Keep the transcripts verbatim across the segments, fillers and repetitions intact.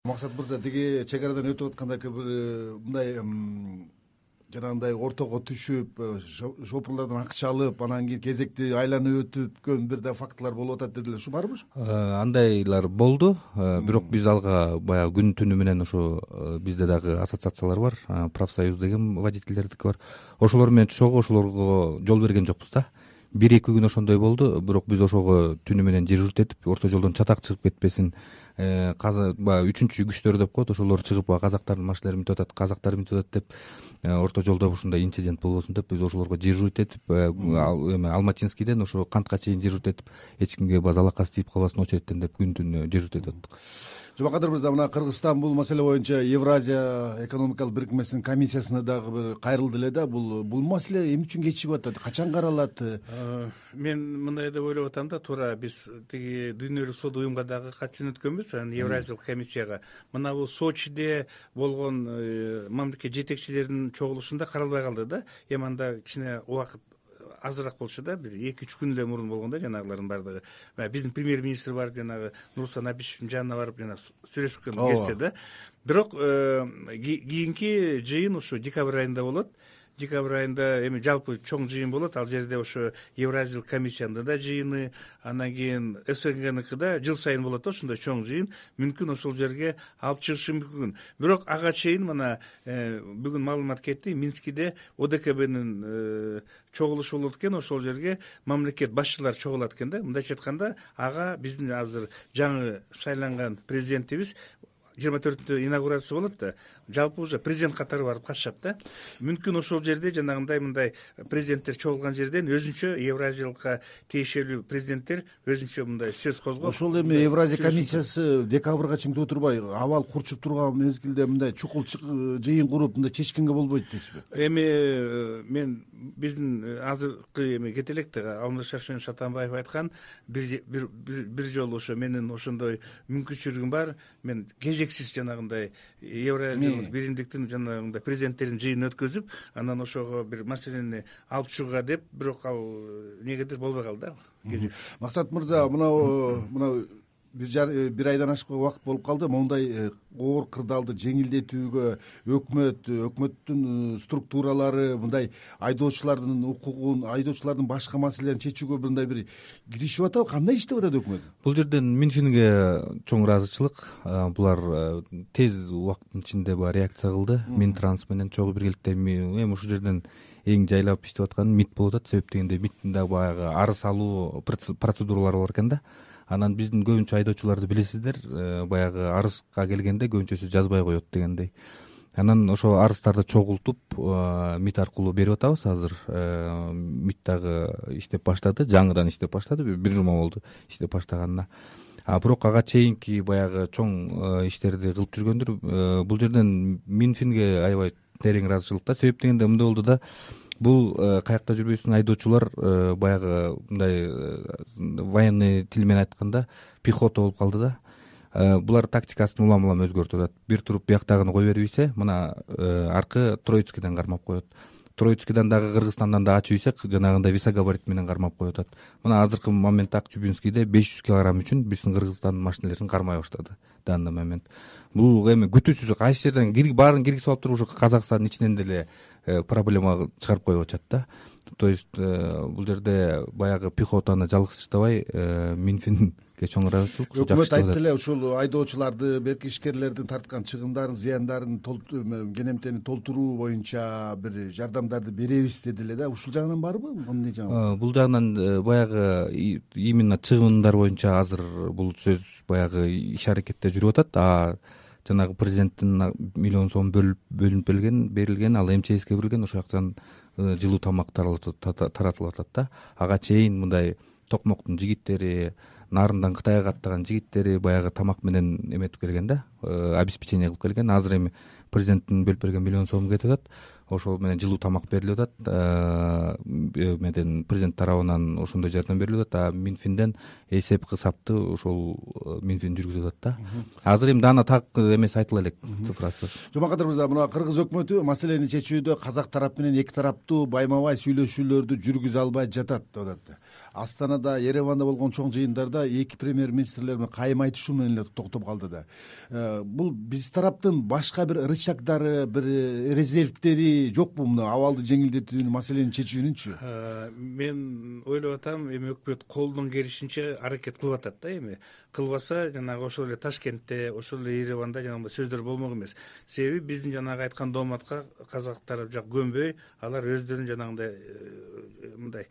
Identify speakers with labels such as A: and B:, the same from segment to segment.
A: Максат мырза, тиги чек арадан өтүп атканда бир мындай жанагындай ортого түшүп, шопурлардан акча алып, анан кийин кезекти айланып өткөн бир да фактылар болуп атат дедилер. Ушу барбы?
B: Андайлар болду. Бирок биз алга баягы күн түнү менен ошо бизде дагы ассоциациялар бар, профсоюз деген водительдердики бар. Ошолор менен чогуу ошолорго жол берген жокпуз да. Бир эки күн ошондой болду, бирок биз ошого түнү менен дежурить этип, орто жолдон чатак чыгып кетпесин, баягы үчүнчү күчтөр деп коет, ошолор чыгып казактардын машиналарын бүтүп атат, казактар бүтүп атат деп, орто жолдо ушундай инцидент болбосун деп биз ошолорго дежурить этип, эме Алматинскийден ошо Кантка чейин дежурить этип, эч кимге залакасы тийип калбасын очередтен деп күн түнү дежурить этип аттык.
A: Жумакадыр мырза, мына Кыргызстан бул маселе боюнча Евразия экономикалык бирикмесинин комиссиясына дагы бир кайрылды эле да. Бул бул маселе эмне үчүн кечигип атат? Качан каралат?
C: Мен мындай деп ойлоп атам да, туура биз тиги Дүйнөлүк соода уюмга дагы кат жөнөткөнбүз, анан Евразиялык комиссияга. Мына бул Сочиде болгон мамлекет жетекчилеринин чогулушунда каралбай калды да. Эми анда кичине убакыт азыраак болчу да, бир эки үч күн эле мурун болгон да жанагылардын бардыгы. Биздин премьер-министр барып, жанагы Нурсултан Абишевдин жанына барып жана сүйлөшкөн кезде да. Бирок кийинки жыйын ушу декабрь айында болот. Декабрь айында эми жалпы чоң жыйын болот. Ал жерде ошо Евразиялык комиссиянын да жыйыны, анан кийин СНГныкы да жыл сайын болот да ошондой чоң жыйын. Мүмкүн ошол жерге алып чыгышы мүмкүн. Бирок ага чейин мына бүгүн маалымат кетти, Минскиде ОДКБнын чогулушу болот экен, ошол жерге мамлекет башчылары чогулат экен да. Мындайча айтканда, ага биздин азыр жаңы шайланган президентибиз жыйырма төртүндө инаугурация болот да, жалпы уже президент катары барып катышат да. Мүмкүн ошол жерде жанагындай мындай президенттер чогулган жерден өзүнчө Евразиялыкка тиешелүү президенттер өзүнчө мындай сөз козгоп.
A: Ошол эми Евразия комиссиясы декабрга чейин күтүп турбай, абал курчуп турган мезгилде мындай чукул жыйын куруп мындай чечкенге болбойт дейсизби?
C: Эми мен биздин азыркы эми кете элек да, Алмаз Шаршенович Атамбаев айткан, бир бир бир жолу ошо менин ошондой мүмкүнчүлүгүм бар, мен кезексиз жанагындай Евразиялык биримдиктин жанагындай президенттердин жыйынын өткөзүп, анан ошого бир маселени алып чыгууга деп, бирок ал негедир болбой калды да.
A: Максат мырза, мына мына бир бир айдан ашык убакыт болуп калды. Мондай оор кырдаалды жеңилдетүүгө өкмөт, өкмөттүн структуралары мындай айдоочулардын укугун, айдоочулардын башка маселелерин чечүүгө мындай бир киришип атабы? Кандай иштеп атат өкмөт?
B: Бул жерден Минфинге чоң ыраазычылык. Булар тез убакыттын ичинде баягы реакция кылды. Минтранс менен чогуу биргеликте эми ушул жерден эң жайлап иштеп аткан МИД болуп атат. Себеп дегенде МИДтин да баягы арыз алуу процедуралары бар экен да. Анан биздин көбүнчө айдоочуларды билесиздер, баягы арызга келгенде көбүнчөсү жазбай коет дегендей. Анан ошо арыздарды чогултуп МИД аркылуу берип атабыз азыр. МИД дагы иштеп баштады, жаңыдан иштеп баштады, бир жума болду иштеп баштаганына. А бирок ага чейинки баягы чоң иштерди кылып жүргөндүр. Бул жерден Минфинге аябай терең ыраазычылык да. Себеп дегенде мындай болду да, бул каякта жүрбөйсүң, айдоочулар баягы мындай военный тил менен айтканда пехота болуп калды да. Булар тактикасын улам улам өзгөртүп атат. Бир туруп бияктагыны кой берип ийсе, мына аркы Троицкийден кармап коет. Троицкийден дагы Кыргызстандан да ачып ийсек, жанагындай висогабарит менен кармап коюп атат. Мына азыркы моментте Актюбинскийде беш жүз килограмм үчүн биздин Кыргызстандын машиналерин кармай баштады данный момент. Бул эми күтүүсүз кайсы жерден баарын киргизип алып туруп ушу Казакстандын ичинен деле проблема чыгарып коюп атышат да. То есть бул жерде баягы пехотаны жалгызсыздабай Минфинге чоң ыраазычылык.
A: Өкмөт айтты эле, ушул айдоочуларды, берки ишкерлердин тарткан чыгымдарын, зыяндарын кенемтени толтуруу боюнча бир жардамдарды беребиз деди эле да. Ушул жагынан барбы? Эмне жагынан?
B: Бул жагынан баягы именно чыгымдар боюнча азыр бул сөз баягы иш аракетте жүрүп атат. А жанагы президенттин миллион сом бөлүнүп берилген, берилген, ал МЧСке берилген, ошол жактан жылуу тамак таратылып атат да. Ага чейин мындай Токмоктун жигиттери, Нарындан Кытайга каттаган жигиттери баягы тамак менен эметип келген да, обеспечение кылып келген. Азыр эми президенттин бөлүп берген миллион сом кетип атат. Ошол менен жылуу тамак берилип атат. Эмеден президент тарабынан ошондой жардам берилип атат. А Минфинден эсеп кысапты ошол Минфин жүргүзүп атат да. Азыр эми дана так эмеси айтыла элек, цифрасы.
A: Жумакадыр мырза, мына Кыргыз өкмөтү маселени чечүүдө казак тарап менен эки тараптуу байма бай сүйлөшүүлөрдү жүргүзө албай жатат деп атат. Астанада, Ереванда болгон чоң жыйындарда эки премьер министрлер менен кайым айтышуу менен эле токтоп калды да. Бул биз тараптын башка бир рычагдары, бир резервдери жокпу мына абалды жеңилдетүүнү, маселени чечүүнүнчү?
C: Мен ойлоп атам, эми өкмөт колунун келишинче аракет кылып атат да. Эми кылбаса жанагы ошол эле Ташкентте, ошол эле Ереванда жанагындай сөздөр болмок эмес. Себеби биздин жанагы айткан дооматка казак тарап жак көнбөй, алар өздөрүнүн жанагындай мындай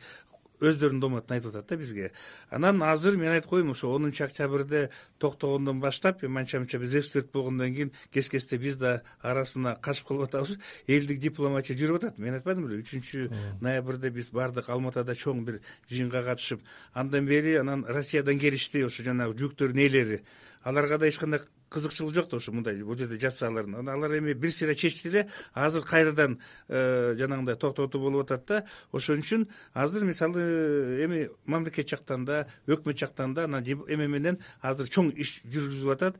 C: өздөрүнүн дооматын айтып атат да бизге. Анан азыр мен айтып коеюн, ошо онунчу октябрда токтогондон баштап, манча-мынча биз эксперт болгондон кийин кес-кесте биз да арасына кашып калып атабыз. Элдик дипломатия жүрүп атат. Мен айтпадым беле, үчүнчү ноябрда биз бардык Алматада чоң бир жыйынга катышып, андан бери анан Россиядан келишти ошо жанагы жүктөрдүн ээлери. Аларга да эч кандай кызыкчылык жок да ошо мындай бул жерде жатса алардын. Алар эми бир сыйра чечти эле, азыр кайрадан жанагындай токтотуу болуп атат да. Ошон үчүн азыр мисалы эми мамлекет жактан да, өкмөт жактан да анан эме менен азыр чоң иш жүргүзүлүп атат.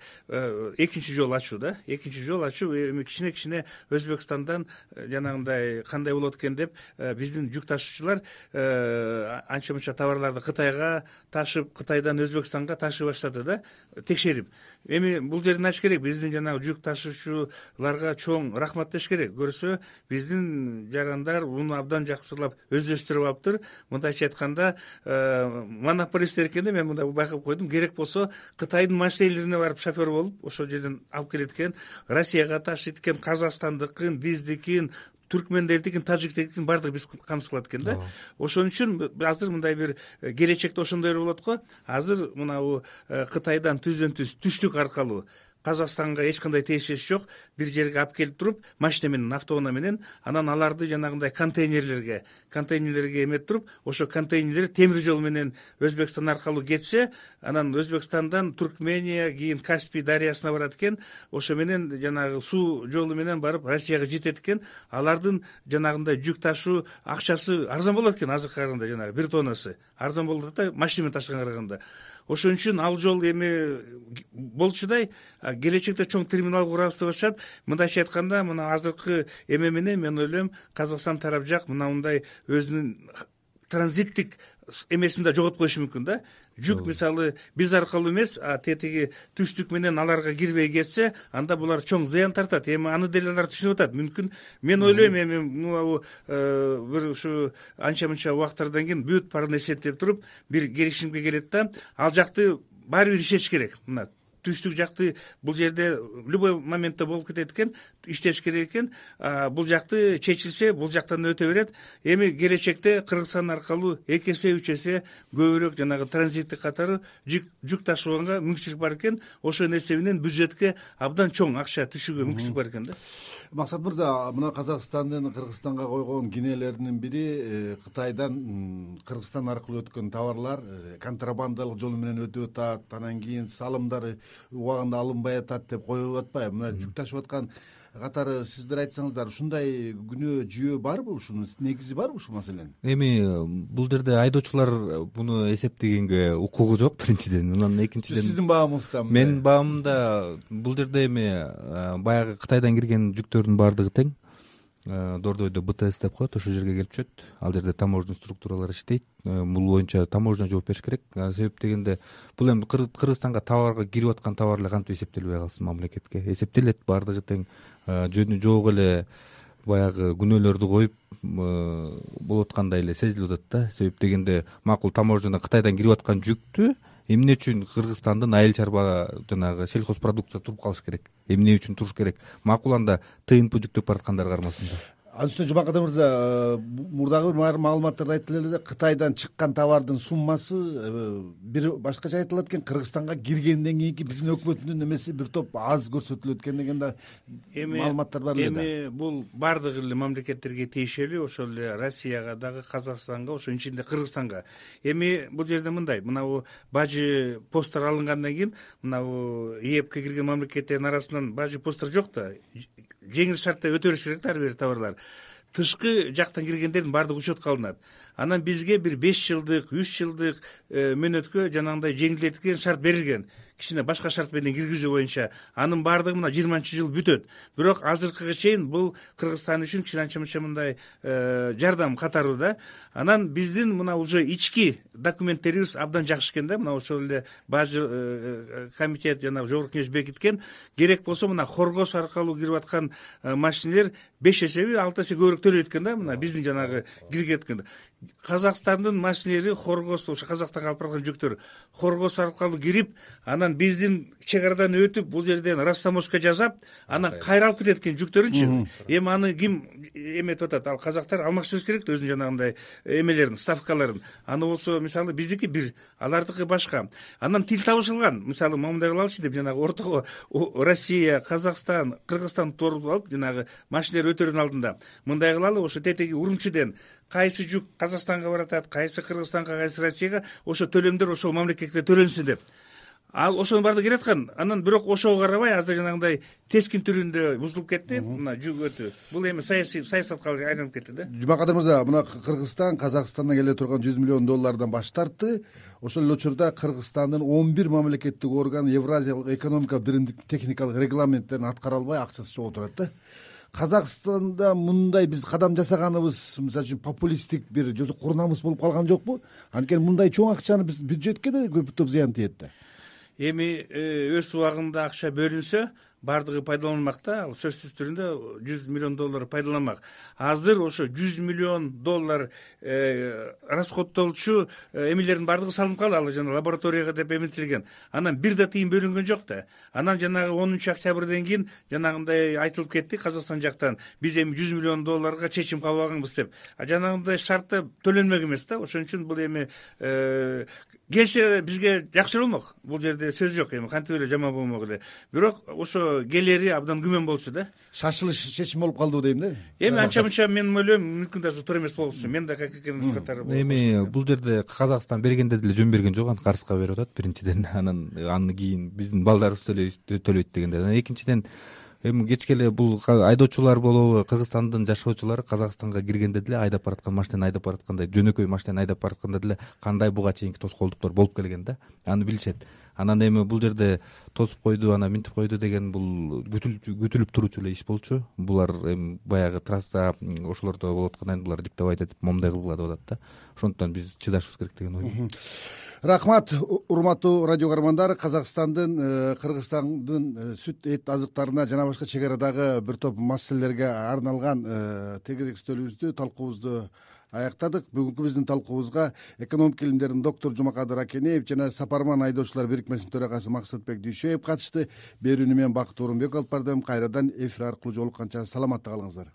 C: Экинчи жол ачуу да, экинчи жол ачуу эми кичине-кичине Өзбекстандан жанагындай кандай болот экен деп биздин жүк ташуучулар анча-мынча товарларды Кытайга ташып, Кытайдан Өзбекстанга ташый баштады да, текшерип. Эми бул жерден ачыш керек, биздин жанагы жүк ташуучуларга чоң рахмат деш керек. Көрсө биздин жарандар муну абдан жакшылап өздөштүрүп алыптыр. Мындайча айтканда монополисттер экен да, мен мындай байкап койдум. Керек болсо Кытайдын машинелерине барып шофер болуп, ошол жерден алып келет экен, Россияга ташыйт экен, Казакстандыкын, биздикин, түркмендердикин, тажиктикин баардыгы биз камсыз кылат экен да. Ошон үчүн азыр мындай бир келечекте ошондой болот го. Азыр мына Кытайдан түздөн түз түштүк аркылуу Казакстанга эч кандай тиешеси жок бир жерге алып келип туруп, машина менен, автоунаа менен, анан аларды жанагындай контейнерлерге, контейнерлерге эметип туруп, ошо контейнерлер темир жол менен Өзбекстан аркылуу кетсе, анан Өзбекстандан Туркмения, кийин Каспий дарыясына барат экен, ошо менен жанагы суу жолу менен барып Россияга жетет экен. Алардын жанагындай жүк ташуу акчасы арзан болот экен, азыркы караганда жанагы бир тоннасы арзан болот да, машина менен ташыганга караганда. Ошон үчүн ал жол эми болчудай келечекте чоң терминал курабыз деп атышат. Мындайча айтканда, мына азыркы эме менен мен ойлойм, Казакстан тарап жак мына мындай өзүнүн транзиттик эмесин да жоготуп коюшу мүмкүн да. Жүк мисалы биз аркылуу эмес, тетиги түштүк менен аларга кирбей кетсе, анда булар чоң зыян тартат. Эми аны деле алар түшүнүп атат. Мүмкүн мен ойлойм, эми мына бир ушу анча-мынча убакыттардан кийин бүт баарын эсептеп туруп бир келишимге келет да, ал жакты баары бир иштеш керек. Мына түштүк жакты бул жерде любой моментте болуп кетет экен, иштеш керек экен. Бул жакты чечилсе, бул жактан өтө берет. Эми келечекте Кыргызстан аркылуу эки эсе, үч эсе көбүрөөк жанагы транзиттик катары жүк ташууга мүмкүнчүлүк бар экен. Ошонун эсебинен бюджетке абдан чоң акча түшүүгө мүмкүнчүлүк бар экен да.
A: Максат мырза, мына Казакстандын Кыргызстанга койгон кинелеринин бири Кытайдан Кыргызстан аркылуу өткөн товарлар контрабандалык жол менен өтүп атат, анан кийин салымдары убагында алынбай атат деп коюлуп атпайбы? Мына жүк ташып аткан катары сиздер айтсаңыздар, ушундай күнөө жүйө барбы, ушунун негизи барбы ушул маселенин?
B: Эми бул жерде айдоочулар буну эсептегенге укугу жок биринчиден. Анан экинчиден
A: сиздин баамыңызда?
B: Менин баамымда бул жерде эми баягы Кытайдан кирген жүктөрдүн баардыгы тең. Дордойдо бэ тэ эс деп коет, ошол жерге келип түшөт. Ал жерде таможня структуралар иштейт. Бул боюнча таможня жооп бериш керек. Себеп дегенде бул эми Кыргызстанга товарга кирип аткан товар эле кантип эсептелбей калсын, мамлекетке эсептелет, баардыгы тең. Жөнү жок эле баягы күнөөлөрдү коюп болуп аткандай эле сезилип атат да. Себеп дегенде макул таможнядан Кытайдан кирип аткан жүктү эмне үчүн Кыргызстандын айыл чарба жанагы сельхозпродукция туруп калыш керек? Эмне үчүн туруш керек? Макул анда тэ эн пэ жүктөп бараткандар кармасында.
A: Анын үстүнө Жумакадыр мырза, мурдагы бир маалыматтарда айтылып эле, Кытайдан чыккан товардын суммасы бир башкача айтылат экен, Кыргызстанга киргенден кийинки биздин өкмөттүн эмеси бир топ аз көрсөтүлөт экен деген да маалыматтар бар эле да.
C: Эми бул баардык эле мамлекеттерге тиешелүү, ошол эле Россияга дагы, Казакстанга, ошонун ичинде Кыргызстанга. Эми бул жерде мындай, мынабу бажы посттор алынгандан кийин, мынабу е эпке кирген мамлекеттердин арасынан бажы посттор жок да. Жеңил шартта өтө бериш керек да ар бир товарлар. Тышкы жактан киргендердин баардыгы учетко алынат. Анан бизге бир беш жылдык, үч жылдык мөөнөткө жанагындай жеңилдетилген шарт берилген. кичине башка шарт менен киргизүү боюнча анын баардыгы мына жыйырманчы жыл бүтөт. Бирок азыркыга чейин бул Кыргызстан үчүн кичине анча мынча мындай жардам катары да. Анан биздин мына уже ички документтерибиз абдан жакшы экен да. Мына ошол эле бажы комитет жана жогорку кеңеш бекиткен. Керек болсо мына Хоргос аркылуу кирип аткан машинелер беш эсеби алты эсе көбүрөөк төлөйт экен да. Мына биздин жанагы киргет экен. Казакстандын машинелери Хоргос ошо Казакстанга алып барган жүктөр Хоргос аркылуу кирип, анан биздин чек арадан өтүп, бул жерден растаможка жасап, анан кайра алып кетет экен жүктөрүнчү. Эми аны ким эметип атат? Ал казактар алмаштырыш керек да өзүнүн жанагындай эмелерин, ставкаларын. Аны болсо мисалы биздики бир, алардыкы башка. Анан тил табышылган. Мисалы мындай кылалычы деп жанагы ортого Россия, Казакстан, Кыргызстан туруп алып, жанагы машинелер өтөрүнүн алдында мындай кылалы, ошо тетеги Урумчиден кайсы жүк Казакстанга баратат, кайсы Кыргызстанга, кайсы Россияга, ошо төлөмдөр ошол мамлекетке төлөнсүн деп. Ал ошонун баардыгы келе аткан. Анан бирок ошого карабай азыр жанагындай тескин түрүндө бузулуп кетти. Мына жүк өтүү. Бул эми саясий саясатка айланып кетти да.
A: Жумакадыр мырза, мына Кыргызстан Казакстандан келе турган жүз миллион доллардан баш тартты. Ошол эле учурда Кыргызстандын он бир мамлекеттик орган Евразиялык экономика биримдик техникалык регламенттерин аткара албай акчасы чогуу турат да. Казакстанда мындай биз кадам жасаганыбыз, мисалы үчүн популисттик бир жозу курнамыс болуп калган жокпу? Анткени мындай чоң акчаны биз бюджетке да көптөп зыян тиет да.
C: Эми өз убагында акча бөлүнсө, баардыгы пайдаланылмак да. Ал сөзсүз түрүндө жүз миллион доллар пайдаланмак. Азыр ошо жүз миллион доллар расходтолчу эмелердин баардыгы салынып калды, ал жана лабораторияга деп эметилген. Анан бир да тыйын бөлүнгөн жок да. Анан жанагы онунчу октябрден кийин жанагындай айтылып кетти Казакстан жактан, биз эми жүз миллион долларга чечим кабыл алганбыз деп. А жанагындай шартта төлөнмөк эмес да. Ошон үчүн бул эми келсе бизге жакшы болмок. Бул жерде сөз жок, эми кантип эле жаман болмок эле. Бирок ошо келери абдан күмөн болчу да.
A: Шашылыш чечим болуп калды дейм да.
C: Эми анча мынча мен ойлойм, мүмкүн даже туура эмес болчу. Мен да как экенин катары болот.
B: Эми бул жерде Казакстан бергенде деле жөн берген жок, аны Карска берип атат биринчиден. Анан аны кийин биздин балдарыбыз төлөйт дегенде. Анан экинчиден эми кечке эле бул айдоочулар болобу, Кыргызстандын жашоочулары Казакстанга киргенде деле айдап бараткан машинени айдап бараткандай, жөнөкөй машинени айдап баратканда деле кандай буга чейинки тоскоолдуктар болуп келген да. Аны билишет. Анан эми бул жерде тосуп койду, анан минтип койду деген бул күтүлүп туруучу эле иш болчу. Булар эми баягы трасса ошолордо болуп аткандан булар диктовать этип момундай кылгыла деп атат да. Ошондуктан биз чыдашыбыз керек деген ойдомун.
A: Рахмат, урматтуу радио каармандар. Казакстандын, Кыргызстандын сүт эт азыктарына жана башка чек арадагы бир топ маселелерге арналган тегерек үстөлүбүздү, талкуубузду аяктадык. Бүгүнкү биздин талкуубузга экономика илимдеринин доктуру Жумакадыр Акенеев жана Сапарман айдоочулар бирикмесинин төрагасы Максатбек Дүйшөев катышты. Берүүнү мен Бакыт Орунбеков алып бардым. Кайрадан эфир аркылуу жолукканча саламатта калыңыздар.